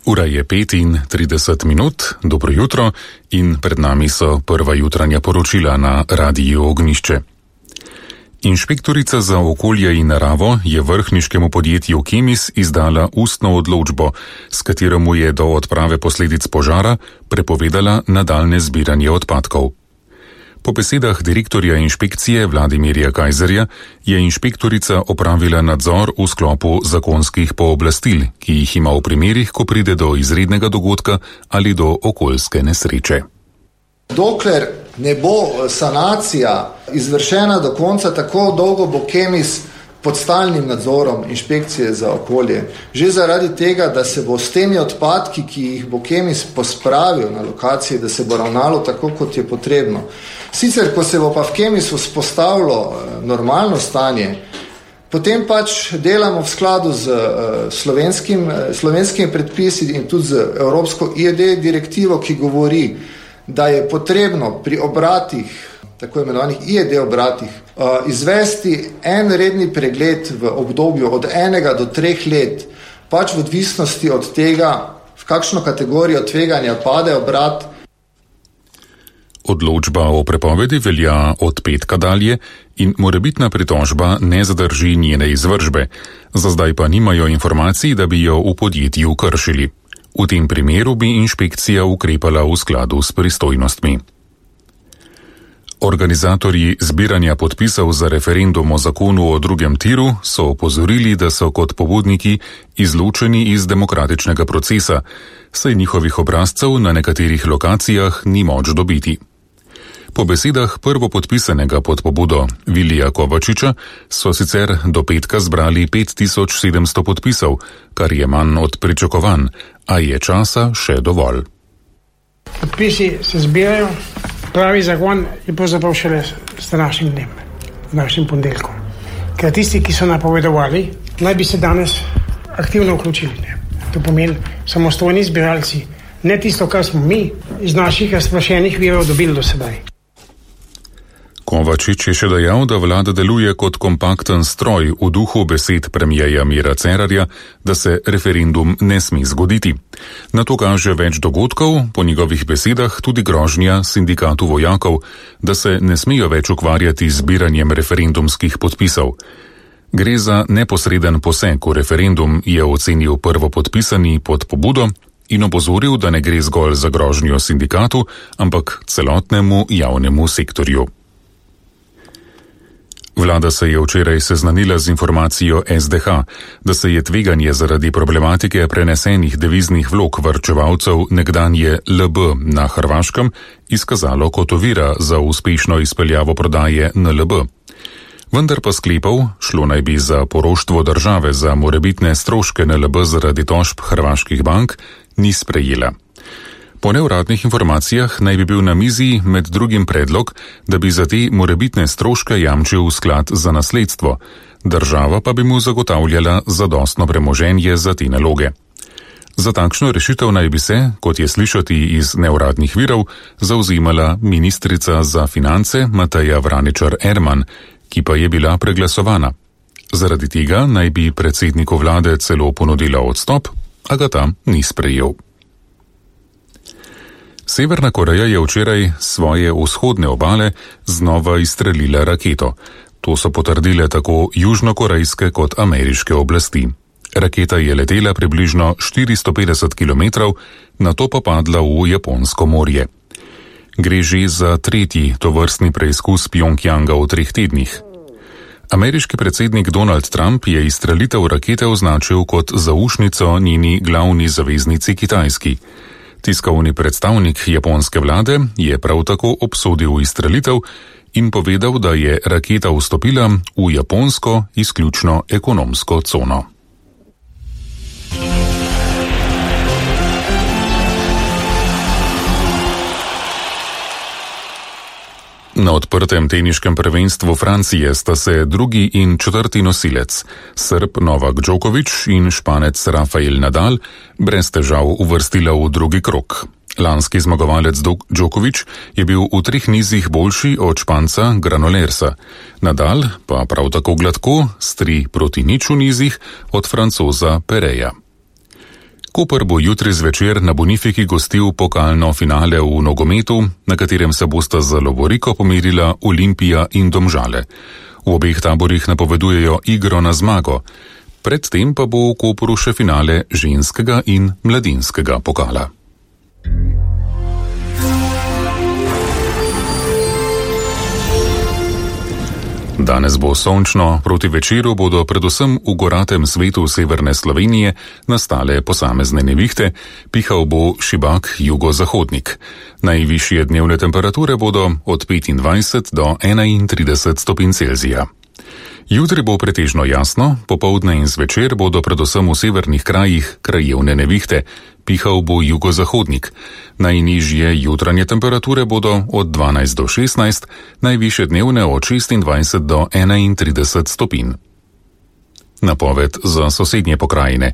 Ura je 5:30, dobro jutro in pred nami so prva jutranja poročila na Radiu Ognjišče. Inšpektorica za okolje in naravo je vrhniškemu podjetju Kemis izdala ustno odločbo, s katero mu je do odprave posledic požara prepovedala nadaljnje zbiranje odpadkov. Po besedah direktorja inšpekcije Vladimirja Kajzerja je inšpektorica opravila nadzor v sklopu zakonskih pooblastil, ki jih ima v primerih, ko pride do izrednega dogodka ali do okoljske nesreče. Dokler ne bo sanacija izvršena do konca, tako dolgo bo Kemis pod stalnim nadzorom inšpekcije za okolje. Že zaradi tega, da se bo s temi odpadki, ki jih bo Kemis pospravil na lokaciji, da se bo ravnalo tako, kot je potrebno. Sicer, ko se bo pa v Kemisu vzpostavilo normalno stanje, potem pač delamo v skladu z slovenskimi predpisi in tudi z Evropsko IED direktivo, ki govori, da je potrebno pri obratih, tako imenovanih IED obratih, izvesti en redni pregled v obdobju od 1 do 3 let, pač v odvisnosti od tega, v kakšno kategorijo tveganja pade obrat. Odločba o prepovedi velja od petka dalje in morebitna pritožba ne zadrži njene izvršbe. Za zdaj pa nimajo informacij, da bi jo v podjetju kršili. V tem primeru bi inšpekcija ukrepala v skladu s pristojnostmi. Organizatorji zbiranja podpisov za referendum o zakonu o drugem tiru so opozorili, da so kot pobudniki izločeni iz demokratičnega procesa, saj njihovih obrazcev na nekaterih lokacijah ni moč dobiti. Po besedah prvopodpisanega pod pobudo Vilija Kovačiča so sicer do petka zbrali 5700 podpisov, kar je manj od pričakovanj, a je časa še dovolj. Podpisi se zbirajo, pravi zakon je pravzaprav šele s današnjim dnem, z današnjim ponedeljkom. Ker tisti, ki so napovedovali, naj bi se danes aktivno vključili. To pomeni samostojni zbiralci, ne tisto, kar smo mi iz naših razprašenih virov dobili do sedaj. Kovačič je še dejal, da vlada deluje kot kompakten stroj v duhu besed premierja Mira Cerarja, da se referendum ne sme zgoditi. Na to kaže več dogodkov, po njegovih besedah tudi grožnja sindikatu vojakov, da se ne smejo več ukvarjati z zbiranjem referendumskih podpisov. Gre za neposreden poseg v referendum, je ocenil prvopodpisani pod pobudo in opozoril, da ne gre zgolj za grožnjo sindikatu, ampak celotnemu javnemu sektorju. Vlada se je včeraj seznanila z informacijo SDH, da se je tveganje zaradi problematike prenesenih deviznih vlog varčevalcev nekdanje LB na Hrvaškem izkazalo kot ovira za uspešno izpeljavo prodaje NLB. Vendar pa sklepov, šlo naj bi za poroštvo države za morebitne stroške NLB zaradi tožb hrvaških bank, ni sprejela. Po neuradnih informacijah naj bi bil na mizi med drugim predlog, da bi za te morebitne stroške jamčil sklad za nasledstvo, država pa bi mu zagotavljala zadostno premoženje za te naloge. Za takšno rešitev naj bi se, kot je slišati iz neuradnih virov, zavzemala ministrica za finance Mateja Vraničar-Erman, ki pa je bila preglasovana. Zaradi tega naj bi predsedniku vlade celo ponudila odstop, a ga ta ni sprejel. Severna Koreja je včeraj svoje vzhodne obale znova izstrelila raketo. To so potrdile tako južnokorejske kot ameriške oblasti. Raketa je letela približno 450 km, nato pa padla v Japonsko morje. Gre že za tretji tovrstni preizkus Pjongjanga v 3 tednih. Ameriški predsednik Donald Trump je izstrelitev rakete označil kot zaušnico njeni glavni zaveznici Kitajski. Tiskovni predstavnik japonske vlade je prav tako obsodil izstrelitev in povedal, da je raketa vstopila v japonsko izključno ekonomsko cono. Na odprtem teniškem prvenstvu Francije sta se drugi in četrti nosilec, Srb Novak Djokovic in Španec Rafael Nadal, brez težav uvrstila v drugi krog. Lanski zmagovalec Djokovic je bil v 3 nizih boljši od Španca Granolersa, Nadal pa prav tako gladko s 3-0 v nizih od Francoza Pereja. Koper bo jutri zvečer na Bonifiki gostil pokalno finale v nogometu, na katerem se bosta za lovoriko pomerila Olimpija in Domžale. V obeh taborih napovedujejo igro na zmago. Predtem pa bo v Kopru še finale ženskega in mladinskega pokala. Danes bo sončno, proti večeru bodo predvsem v goratem svetu severne Slovenije nastale posamezne nevihte, pihal bo šibak jugozahodnik. Najvišje dnevne temperature bodo od 25 do 31 stopinj Celzija. Jutri bo pretežno jasno, popoldne in zvečer bodo predvsem v severnih krajih krajevne nevihte, pihal bo jugozahodnik. Najnižje jutranje temperature bodo od 12 do 16, najvišje dnevne od 26 do 31 stopinj. Napoved za sosednje pokrajine.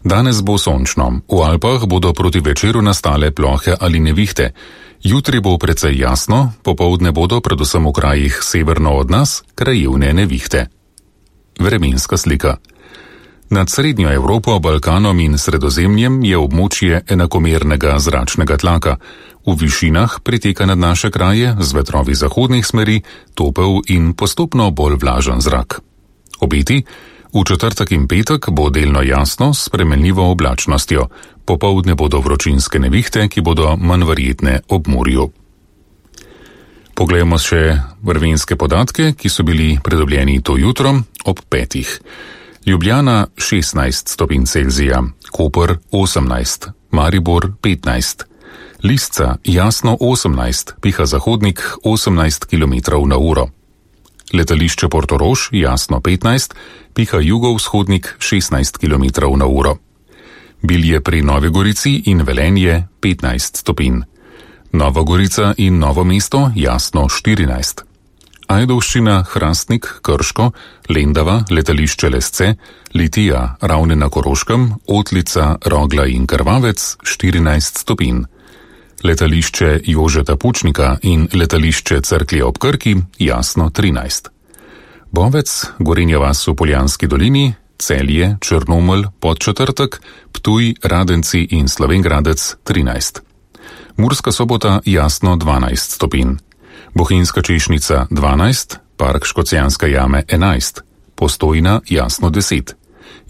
Danes bo sončno, v Alpah bodo proti večeru nastale plohe ali nevihte. Jutri bo precej jasno, popoldne bodo predvsem v krajih severno od nas krajevne nevihte. Vremenska slika. Nad srednjo Evropo, Balkanom in Sredozemljem je območje enakomernega zračnega tlaka. V višinah priteka nad naše kraje z vetrovi zahodnih smeri topel in postopno bolj vlažen zrak. Obeti. V četrtek in petek bo delno jasno s spremenljivo oblačnostjo. Popoldne bodo vročinske nevihte, ki bodo manj verjetne ob morju. Poglejmo še vremenske podatke, ki so bili pridobljeni to jutro ob 5. Ljubljana 16 stopinj Celzija, Koper 18, Maribor 15, Lisca jasno 18, piha zahodnik 18 km/h. Letališče Portorož jasno 15, piha jugovzhodnik 16 km/h. Bilje pri Novi Gorici in Velenje 15 stopinj. Nova Gorica in Novo mesto jasno 14. Ajdovščina, Hrastnik, Krško, Lendava, letališče Lesce, Litija, Ravne na Koroškem, Otlica, Rogla in Krvavec 14 stopinj. Letališče Jožeta Pučnika in letališče Cerklje ob Krki jasno 13. Bovec, Gorenja vas v Poljanski dolini, Celje, Črnomelj, Podčetrtek, Ptuj, Radenci in Slovenj Gradec 13. Murska Sobota jasno 12 stopinj. Bohinjska Češnica 12, Park Škocjanske jame 11, Postojna jasno 10.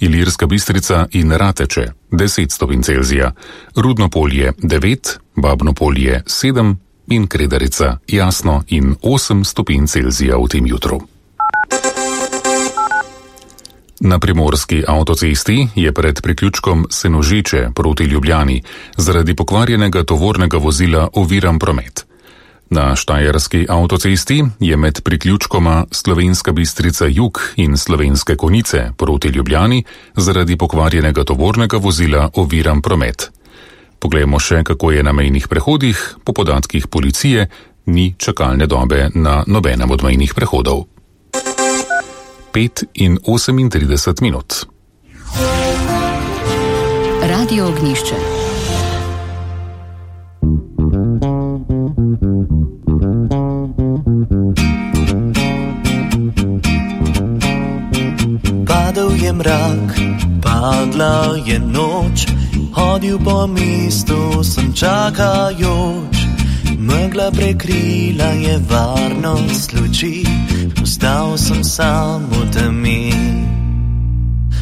Ilirska Bistrica in Rateče 10 stopinj Celzija, Rudno polje 9, Babno polje 7 in Kredarica jasno in 8 stopinj Celzija v tem jutru. Na primorski avtocesti je pred priključkom Senožeče proti Ljubljani zaradi pokvarjenega tovornega vozila oviran promet. Na štajerski avtocesti je med priključkoma Slovenska Bistrica jug in Slovenske Konjice proti Ljubljani zaradi pokvarjenega tovornega vozila oviran promet. Poglejmo še, kako je na mejnih prehodih. Po podatkih policije ni čakalne dobe na nobenem od mejnih prehodov. 5 in 38 minut. Radio Ognjišče. Padal je mrak, padla je noč, hodil po mestu sem čakajoč. Megla prekrila je varnost luči, ostal sem sam v temi.